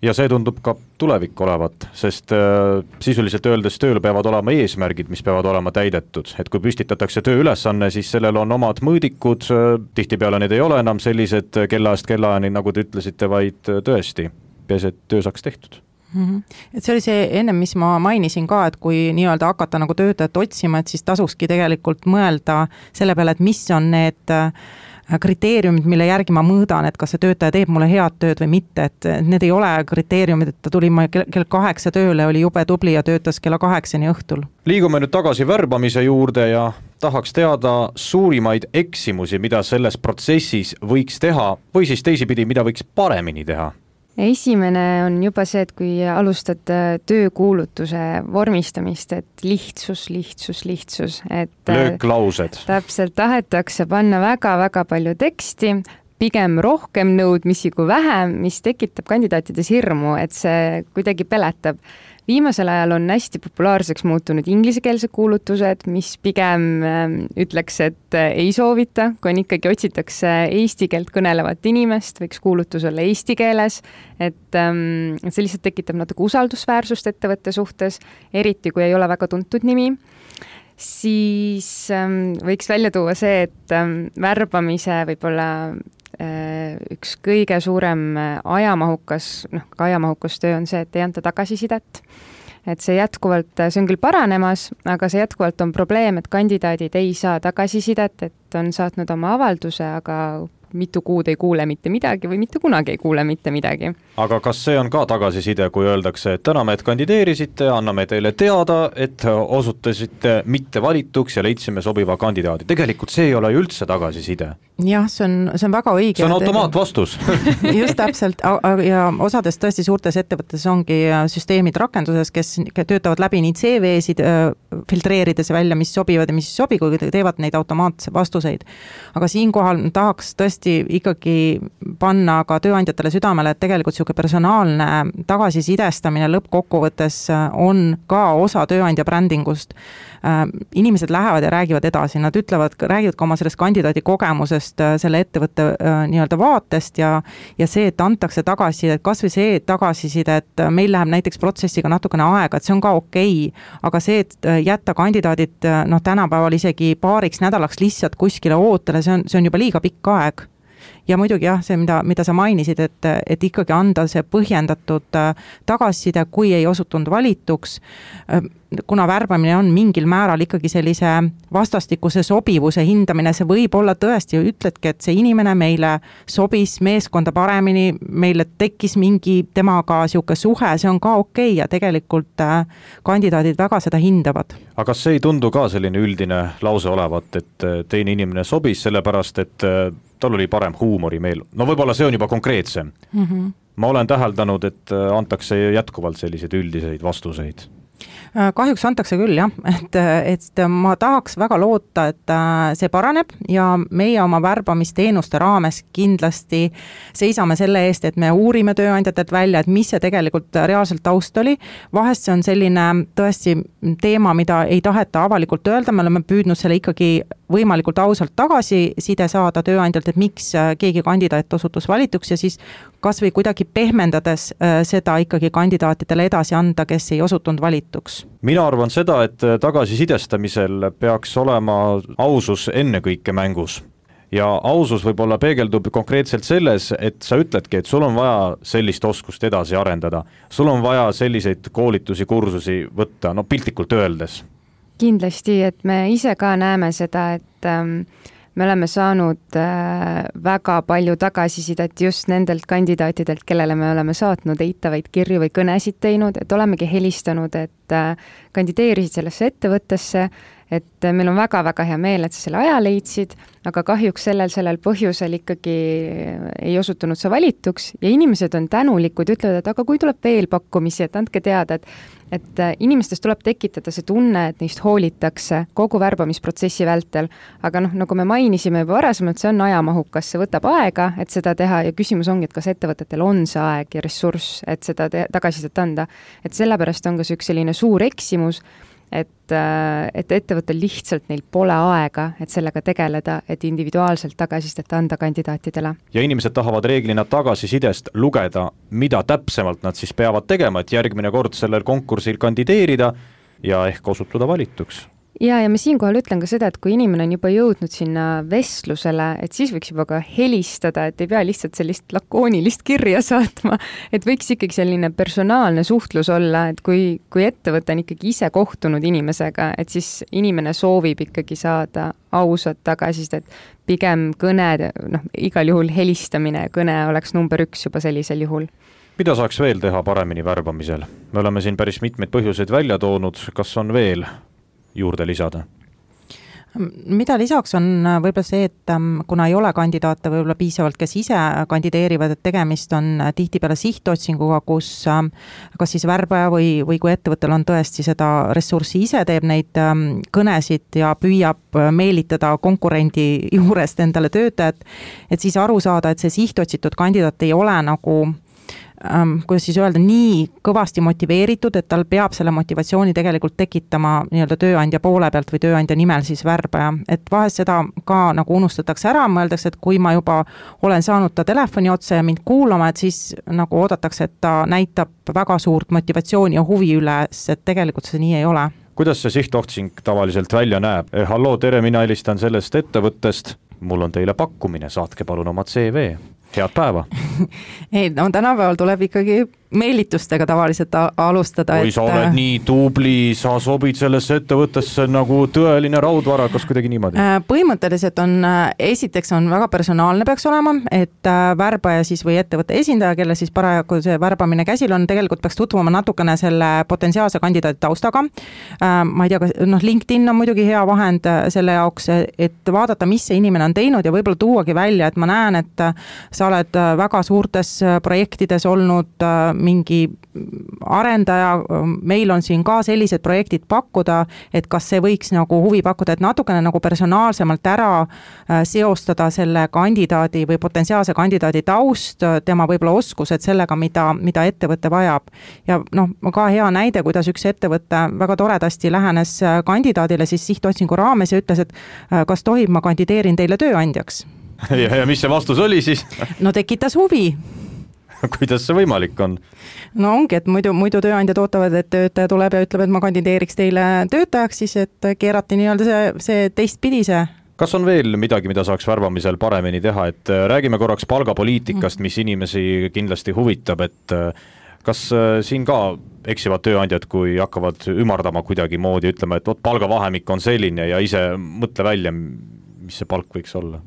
Ja see tundub ka tulevik olevat, sest äh, sisuliselt öeldes tööl peavad olema eesmärgid, mis peavad olema täidetud. Et kui püstitatakse tööülesanne, siis sellel on omad mõõdikud, tihtipeale need ei ole enam sellised kellaast kellaani, nagu te ütlesite, vaid tõesti, peas, et töö saaks tehtud. Mm-hmm. Et see oli see ennem, mis ma mainisin ka, et kui nii-öelda hakata nagu töötajat otsima, et siis tasukski tegelikult mõelda selle peale, et mis on need kriteeriumid, mille järgi ma mõõdan, et kas see töötaja teeb mulle head tööd või mitte, et need ei ole kriteeriumid, et ta tuli ma kell kaheksa tööle, oli jube tubli ja töötas kella kaheksani õhtul. Liigume nüüd tagasi värbamise juurde ja tahaks teada suurimaid eksimusi, mida selles protsessis võiks teha või siis teisipidi, mida võiks paremini teha. Esimene on juba see, et kui alustad töökuulutuse vormistamist, et lihtsus, lihtsus, lihtsus. Et lööklaused. Täpselt tahetakse panna väga-väga palju teksti, pigem rohkem nõudmisi kui vähem, mis tekitab kandidaatides hirmu, et see kuidagi peletab. Viimasel ajal on hästi populaarseks muutunud inglisekeelsed kuulutused, mis pigem ütleks, et ei soovita, kui on ikkagi otsitakse eesti keelt kõnelevat inimest, võiks kuulutus olla eesti keeles, et see lihtsalt tekitab natuke usaldusväärsust ettevõtte suhtes, eriti kui ei ole väga tuntud nimi. Siis võiks välja tuua see, et värbamise võib-olla üks kõige suurem ajamahukas, noh, ka ajamahukas töö on see, et ei anta tagasisidet. Et see jätkuvalt, see on küll paranemas, aga see jätkuvalt on probleem, et kandidaadid ei saa tagasisidet, et on saatnud oma avalduse, aga mitu kuud ei kuule mitte midagi või mitte kunagi ei kuule mitte midagi. Aga kas see on ka tagasiside, kui öeldakse, et täname, et kandideerisite, anname teile teada, et osutasite mitte valituks ja leidsime sobiva kandidaadi. Tegelikult see ei ole üldse tagasiside. Jah, see on, see on väga õige. See on automaatvastus. Just täpselt, ja osades tõesti suurtes ettevõttes ongi süsteemid rakenduses, kes töötavad läbi nii C V-sid, filtreerides välja, mis sobivad ja mis sobi, kui teevad neid automaatse vastuseid. Aga siinkohal tahaks tõesti ikkagi panna ka tööandjatele südamele, et tegelikult siuke personaalne tagasisidestamine lõppkokkuvõttes on ka osa tööandja brändingust. Inimesed lähevad ja räägivad edasi, nad ütlevad, räägivad ka oma sellest kandidaadi kogemusest, selle ettevõtte nii-öelda vaatest ja, ja see, et antakse tagasiside, et kas või see et tagasiside, et meil läheb näiteks protsessiga natukene aega, et see on ka okei, aga see, et jätta kandidaadid noh, tänapäeval isegi paariks nädalaks lihtsalt kuskile ootele, see on, see on juba liiga pikk aeg. Ja muidugi jah, see, mida, mida sa mainisid, et, et ikkagi anda see põhjendatud tagasiside, kui ei osutunud valituks, kuna värbamine on mingil määral ikkagi sellise vastastikuse sobivuse hindamine, see võib olla tõesti, ütledki, et see inimene meile sobis meeskonda paremini, meile tekkis mingi temaga siuke suhe, see on ka okei ja tegelikult kandidaadid väga seda hindavad. Aga kas see ei tundu ka selline üldine lause olevat, et teine inimene sobis sellepärast, et tal oli parem huumorimeel. No võib-olla see on juba konkreetsem. Mm-hmm. Ma olen täheldanud, et antakse jätkuvalt selliseid üldiseid vastuseid. Kahjuks antakse küll, jah, et, et ma tahaks väga loota, et see paraneb ja meie oma värbamisteenuste raames kindlasti seisame selle eest, et me uurime tööandjatelt välja, et mis see tegelikult reaalselt taust oli. Vahest see on selline tõesti teema, mida ei taheta avalikult öelda, me oleme püüdnud selle ikkagi võimalikult ausalt tagasiside saada tööandjalt, et miks keegi kandidaat osutus valituks ja siis kas või kuidagi pehmendades seda ikkagi kandidaatidele edasi anda, kes ei osutunud valituks. Mina arvan seda, et tagasisidestamisel peaks olema ausus ennekõike mängus. Ja ausus võib-olla peegeldub konkreetselt selles, et sa ütledki, et sul on vaja sellist oskust edasi arendada. Sul on vaja selliseid koolitusi, kursusi võtta, no piltlikult öeldes. Kindlasti, et me ise ka näeme seda, et ähm, me oleme saanud äh, väga palju tagasisidet just nendelt kandidaatidelt, kellele me oleme saatnud eitavaid kirju või kõnesid teinud, et olemegi helistanud, et äh, kandideerisid sellesse ettevõttesse, et meil on väga-väga hea meel, et sa selle aja leidsid, aga kahjuks sellel, sellel põhjusel ikkagi ei osutunud sa valituks ja inimesed on tänulikud, ütlevad, et aga kui tuleb veel pakkumisi, et andke teada, et, et inimestest tuleb tekitada see tunne, et neist hoolitakse kogu värbamisprotsessi vältel, aga noh, nagu me mainisime juba varasemalt, see on ajamahukas, see võtab aega, et seda teha ja küsimus ongi, et kas ettevõtetel on see aeg ja ressurss, et seda te- tagasisidet anda, et sellepärast on ka see üks selline suur eksimus, et, et ettevõttel lihtsalt neil pole aega, et sellega tegeleda, et individuaalselt tagasisidet anda kandidaatidele. Ja inimesed tahavad reeglina tagasisidest lugeda, mida täpsemalt nad siis peavad tegema, et järgmine kord sellel konkursil kandideerida ja ehk osutuda valituks. Ja, ja ma siinkohal ütlen ka seda, et kui inimene on juba jõudnud sinna vestlusele, et siis võiks juba ka helistada, et ei pea lihtsalt sellist lakoonilist kirja saatma, et võiks ikkagi selline personaalne suhtlus olla, et kui, kui ettevõte on ikkagi ise kohtunud inimesega, et siis inimene soovib ikkagi saada ausat tagasisidet, pigem kõne, noh, igal juhul helistamine, kõne oleks number üks juba sellisel juhul. Mida saaks veel teha paremini värbamisel? Me oleme siin päris mitmeid põhjuseid välja toonud, kas on veel juurde lisada? Mida lisaks on võib-olla see, et kuna ei ole kandidaate võib-olla piisavalt, kes ise kandideerivad, et tegemist on tihtipeale sihtotsinguga, kus kas siis värbaja või, või kui ettevõttel on tõesti seda ressurssi ise, teeb neid kõnesid ja püüab meelitada konkurendi juurest endale töötajat, et siis aru saada, et see sihtotsitud kandidaat ei ole nagu Ähm, kuidas siis öelda, nii kõvasti motiveeritud, et tal peab selle motivatsiooni tegelikult tekitama nii-öelda tööandja poole pealt või tööandja nimel siis värbaja. Et vahest seda ka nagu unustatakse ära, mõeldakse, et kui ma juba olen saanud ta telefoni otsa ja mind kuulama, et siis nagu oodatakse, et ta näitab väga suurt motivatsiooni ja huvi üles, et tegelikult see nii ei ole. Kuidas see sihtotsing tavaliselt välja näeb? Eh, halloo, tere, mina helistan sellest ettevõttest, mul on teile pakkumine, saatke palun oma C V. Head päeva. Ei, no tänapäeval tuleb ikkagi meelitustega tavaliselt alustada. Kui sa oled nii tubli, sa sobid sellesse ettevõttesse nagu tõeline raudvara, kas kuidagi niimoodi? Põhimõtteliselt on, esiteks on väga personaalne peaks olema, et värbaja siis või ettevõtte esindaja, kelle siis parajagu see värbamine käsil on, tegelikult peaks tutvuma natukene selle potentsiaalse kandidaadi taustaga. Ma ei tea, noh, LinkedIn on muidugi hea vahend selle jaoks, et vaadata, mis see inimene on teinud ja võib-olla tuuagi välja, et ma näen, et sa oled väga suurtes projektides olnud mingi arendaja, meil on siin ka sellised projektid pakkuda, et kas see võiks nagu huvi pakkuda, et natukene nagu personaalsemalt ära seostada selle kandidaadi või potentsiaalse kandidaadi taust, tema võib-olla oskused sellega, mida, mida ettevõte vajab. Ja noh, ka hea näide, kuidas üks ettevõte väga toredasti lähenes kandidaadile siis sihtotsingu raames ja ütles, et kas tohib, ma kandideerin teile tööandjaks. Ja, ja mis see vastus oli siis? No tekitas huvi. Kuidas see võimalik on? No ongi, et muidu, muidu tööandjad ootavad, et töötaja tuleb ja ütleb, et ma kandideeriks teile töötajaks, siis et keerati nii-öelda see, see teistpidi see. Kas on veel midagi, mida saaks värbamisel paremini teha, et räägime korraks palgapoliitikast, mis inimesi kindlasti huvitab, et kas siin ka eksivad tööandjad, kui hakkavad ümardama kuidagi moodi, ütlema, et oot, palgavahemik on selline ja ise mõtle välja, mis see palk võiks olla?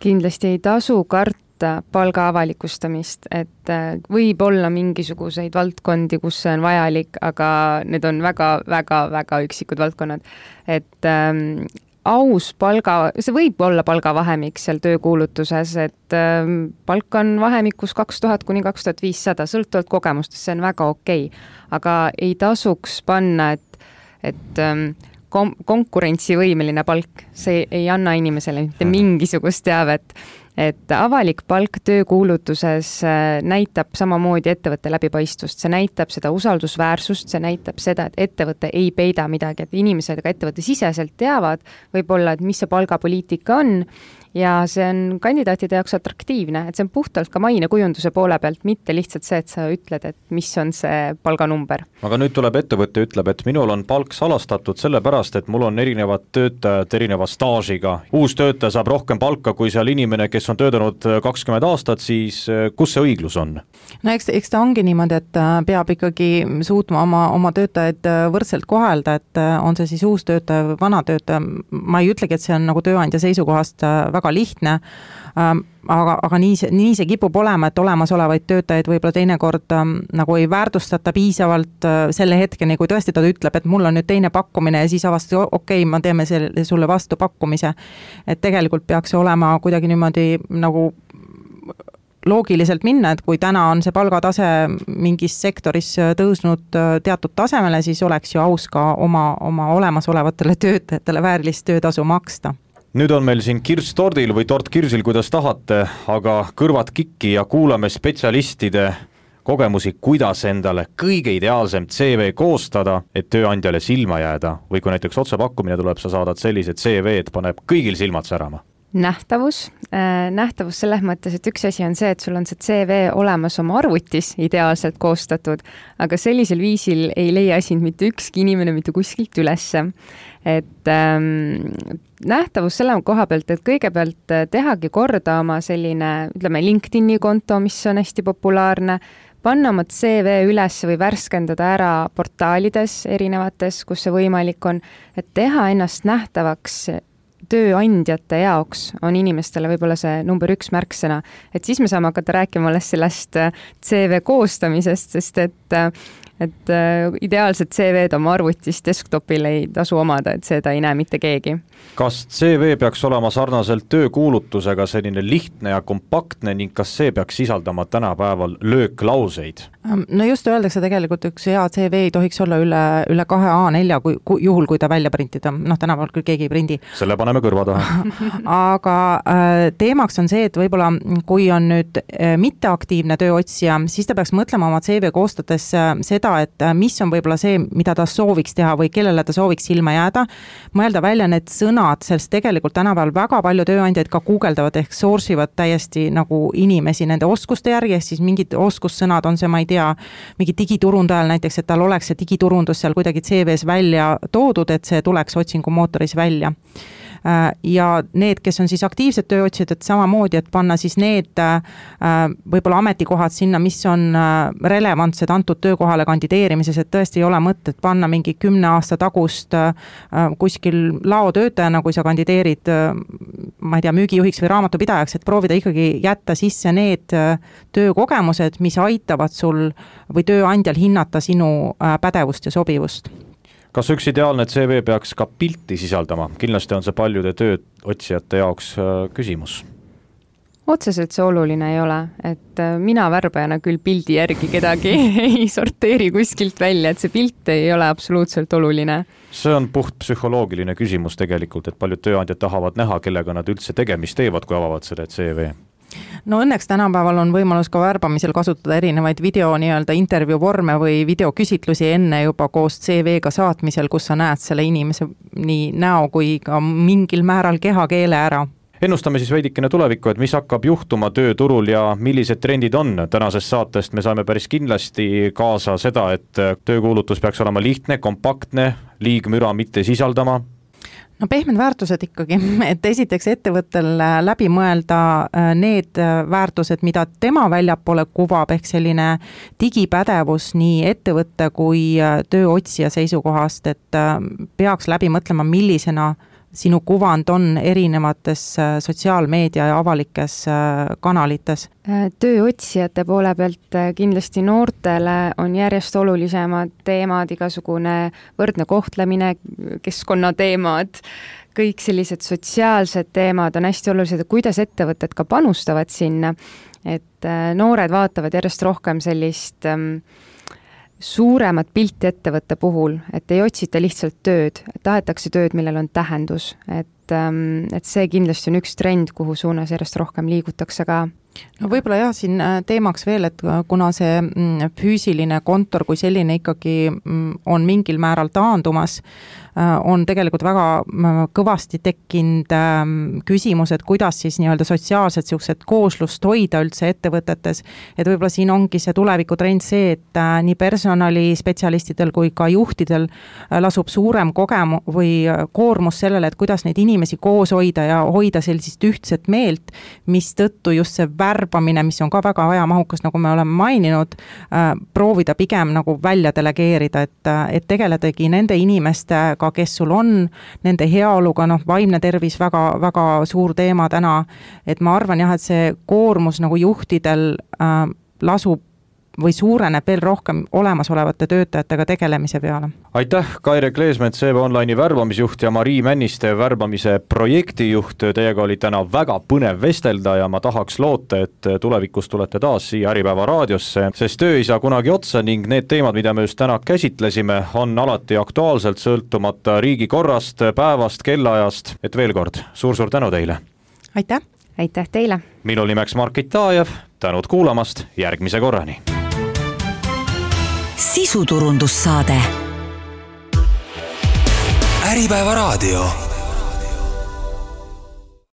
Kindlasti ei tasu karta palga avalikustamist, et võib olla mingisuguseid valdkondi, kus see on vajalik, aga need on väga, väga, väga üksikud valdkonnad. Et ähm, aus palga, see võib olla palgavahemik seal töökuulutuses, et ähm, palk on vahemikus kaks tuhat kuni kaks tuhat viissada, sõltuvalt kogemustest, see on väga okei. Aga ei tasuks panna, et, et ähm, konkurentsivõimeline palk, see ei anna inimesele mitte mingisugust teavet, et avalik palk töökuulutuses näitab samamoodi ettevõtte läbipaistvust, see näitab seda usaldusväärsust, see näitab seda, et ettevõte ei peida midagi, et inimesed ka ettevõtte siseselt teavad võib-olla, et mis see palgapoliitika on ja see on kandidaatide jaoks atraktiivne, et see on puhtalt ka maine kujunduse poole pealt, mitte lihtsalt see, et sa ütled, et mis on see palganumber. Aga nüüd tuleb ettevõtte, ütleb, et minul on palk salastatud sellepärast, et mul on erinevad töötajad erineva staažiga. Uus töötaja saab rohkem palka kui seal inimene, kes on töötanud kakskümmend aastat, siis kus see õiglus on? No eks, eks ta ongi niimoodi, et peab ikkagi suutma oma, oma töötajaid võrdselt kohelda, et on see siis uus töötaja või vana töötaja. Ma ei ütlegi, et see on nagu tööandja seisukohast väga lihtne, aga, aga nii see, nii see kipub olema, et olemasolevaid töötajaid võib-olla teinekord nagu ei väärtustata piisavalt selle hetkeni, kui tõesti ta ütleb, et mul on nüüd teine pakkumine ja siis avasti, okei, okay, ma teeme selle, sulle vastu pakkumise. Et tegelikult peaks olema kuidagi niimoodi nagu loogiliselt minna, et kui täna on see palgatase mingis sektoris tõusnud teatud tasemele, siis oleks ju aus ka oma, oma olemasolevatele töötajatele väärilist töötasu maksta. Nüüd on meil siin kirss tordil või tort kirsil, kuidas tahate, aga kõrvad kikki ja kuulame spetsialistide kogemusi, kuidas endale kõige ideaalsem C V koostada, et tööandjale silma jääda või kui näiteks otsepakkumine tuleb, sa saadad sellised C V-d, paneb kõigil silmad särama? Nähtavus, nähtavus selles mõttes, et üks asi on see, et sul on see C V olemas oma arvutis ideaalselt koostatud, aga sellisel viisil ei leia sind mitte ükski inimene mitte kuskilt ülesse. Et ähm, nähtavus selle koha pealt, et kõigepealt tehagi korda oma selline, ütleme, LinkedIni konto, mis on hästi populaarne, panna oma C V üles või värskendada ära portaalides erinevates, kus see võimalik on, et teha ennast nähtavaks tööandjate jaoks on inimestele võib-olla see number üks märksõna, et siis me saame hakata rääkima alles sellest C V koostamisest, sest et, et ideaalset C V-d oma arvutis desktopil ei tasu omada, et seda ei näe mitte keegi. Kas C V peaks olema sarnaselt töökuulutusega selline lihtne ja kompaktne ning kas see peaks sisaldama tänapäeval lööklauseid? No just öeldakse tegelikult, üks hea C V ei tohiks olla üle, üle kahe A nelja, kui, kui, juhul kui ta välja printida, noh tänapäeval küll keegi ei prindi. Selle paneme kõrva taha. Aga äh, teemaks on see, et võib-olla kui on nüüd äh, mitteaktiivne tööotsija, siis ta peaks mõtlema oma C V koostades äh, seda, et äh, mis on võib-olla see, mida ta sooviks teha või kellele ta sooviks silma jääda, mõelda välja need sõnad, sest tegelikult tänapäeval väga palju tööandjaid ka guugeldavad ehk source ivad täiesti nagu inimesi nende oskuste järgi, ehk siis mingid oskussõnad on see, ma ei tea, mingi digiturundajal näiteks, et tal oleks see digiturundus seal kuidagi C V-s välja toodud, et see tuleks otsingumootoris välja. Ja need, kes on siis aktiivsed tööotsijad, et samamoodi, et panna siis need võib-olla ametikohad sinna, mis on relevantsed antud töökohale kandideerimises, et tõesti ei ole mõtet panna mingi kümne aasta tagust kuskil laotöötajana, kui sa kandideerid, ma ei tea, müügijuhiks või raamatupidajaks, et proovida ikkagi jätta sisse need töökogemused, mis aitavad sul või tööandjal hinnata sinu pädevust ja sobivust. Kas üks ideaalne C V peaks ka pilti sisaldama? Kindlasti on see paljude tööotsijate jaoks küsimus. Otseselt see oluline ei ole, et mina värbajana küll pildi järgi kedagi ei sorteeri kuskilt välja, et see pilt ei ole absoluutselt oluline. See on puht psühholoogiline küsimus tegelikult, et paljud tööandjad tahavad näha, kellega nad üldse tegemist teevad, kui avavad selle C V. No õnneks tänapäeval on võimalus ka värbamisel kasutada erinevaid video nii-öelda intervjuu vorme või videoküsitlusi enne juba koos C V-ga saatmisel, kus sa näed selle inimese nii näo kui ka mingil määral kehakeele ära. Ennustame siis veidikene tulevikku, et mis hakkab juhtuma tööturul ja millised trendid on. Tänasest saatest me saime päris kindlasti kaasa seda, et töökuulutus peaks olema lihtne, kompaktne, liigmüra mitte sisaldama. No pehmed väärtused ikkagi, et esiteks ettevõttel läbi mõelda need väärtused, mida tema väljapoole kuvab, ehk selline digipädevus nii ettevõtte kui tööotsija seisukohast, et peaks läbi mõtlema, millisena sinu kuvand on erinevates sotsiaalmeedia ja avalikes kanalites. Tööotsijate poole pealt kindlasti noortele on järjest olulisemad teemad, igasugune võrdne kohtlemine, keskkonnateemad, kõik sellised sotsiaalsed teemad on hästi olulised, kuidas ettevõtted ka panustavad sinna, et noored vaatavad järjest rohkem sellist suuremat pilti ettevõtte puhul, et ei otsita lihtsalt tööd, tahetakse tööd, millel on tähendus, et, et see kindlasti on üks trend, kuhu suunas järjest rohkem liigutakse ka. No võib-olla jah, siin teemaks veel, et kuna see füüsiline kontor kui selline ikkagi on mingil määral taandumas, on tegelikult väga kõvasti tekkinud küsimus, et kuidas siis nii-öelda sotsiaalset siukset kooslust hoida üldse ettevõtetes, et võib-olla siin ongi see tulevikutrend see, et nii personalispetsialistidel kui ka juhtidel lasub suurem kogemu või koormus sellele, et kuidas neid inimesi koos hoida ja hoida sellisest ühtset meelt, mis tõttu just see värbamine, mis on ka väga ajamahukas, nagu me oleme maininud, proovida pigem nagu välja delegeerida, et, et tegeledagi nende inimestega, kes sul on, nende heaoluga, noh, vaimne tervis väga, väga suur teema täna, et ma arvan jah, et see koormus nagu juhtidel äh, lasub või suureneb veel rohkem olemasolevate töötajatega tegelemise peale. Aitäh, Kaire Kleesmet, C V Online'i värbamisjuht ja Marii Männiste värbamise projektijuht. Teiega oli täna väga põnev vestelda ja ma tahaks loota, et tulevikus tulete taas siia Äripäeva raadiosse, sest töö ei saa kunagi otsa ning need teemad, mida me just täna käsitlesime, on alati aktuaalselt sõltumata riigikorrast, päevast, kellaajast. Et veel kord, suur-suur tänu teile! Aitäh! Aitäh teile! Minu nimeks Mark Itajev, tänud kuulamast, järgmise korrani! sisuturundussaade. Äripäeva raadio.